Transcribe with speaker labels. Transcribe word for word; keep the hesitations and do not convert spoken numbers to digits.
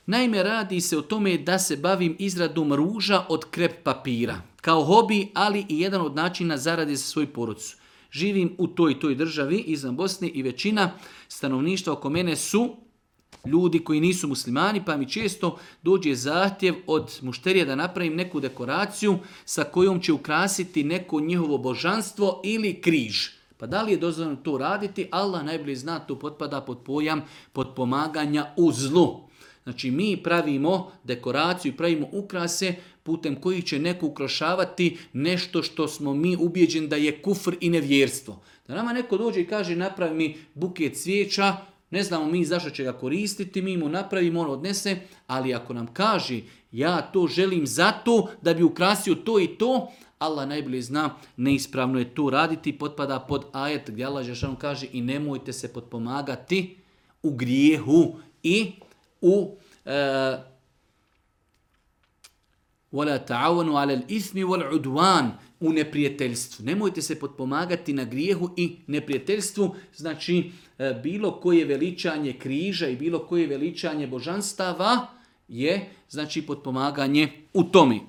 Speaker 1: Naime, radi se o tome da se bavim izradom ruža od krep papira. Kao hobi, ali i jedan od načina zarade za svoju porodicu. Živim u toj i toj državi izvan Bosne i većina stanovništva oko mene su ljudi koji nisu muslimani, pa mi često dođe zahtjev od mušterija da napravim neku dekoraciju sa kojom će ukrasiti neko njihovo božanstvo ili križ. Pa da li je dozvoljeno to raditi? Allah najbolje zna, to potpada pod pojam potpomaganja u zlu. Znači mi pravimo dekoraciju i pravimo ukrase putem kojih će neko ukrašavati nešto što smo mi ubijeđeni da je kufr i nevjerstvo. Da nama neko dođe i kaže napravi mi buket cvijeća, ne znamo mi zašto će ga koristiti, mi mu napravimo, on odnese, ali ako nam kaže ja to želim zato da bi ukrasio to i to, Allah najbolje zna, neispravno je to raditi, potpada pod ajet gdje Allah dželešanu kaže i nemojte se potpomagati u grijehu i u وَلَا تَعَوَنُوا عَلَى الْإِثْمِ وَالْعُدْوَانِ u neprijateljstvu. Nemojte se potpomagati na grijehu i neprijateljstvu, znači bilo koje veličanje križa i bilo koje veličanje božanstava je znači potpomaganje u tome.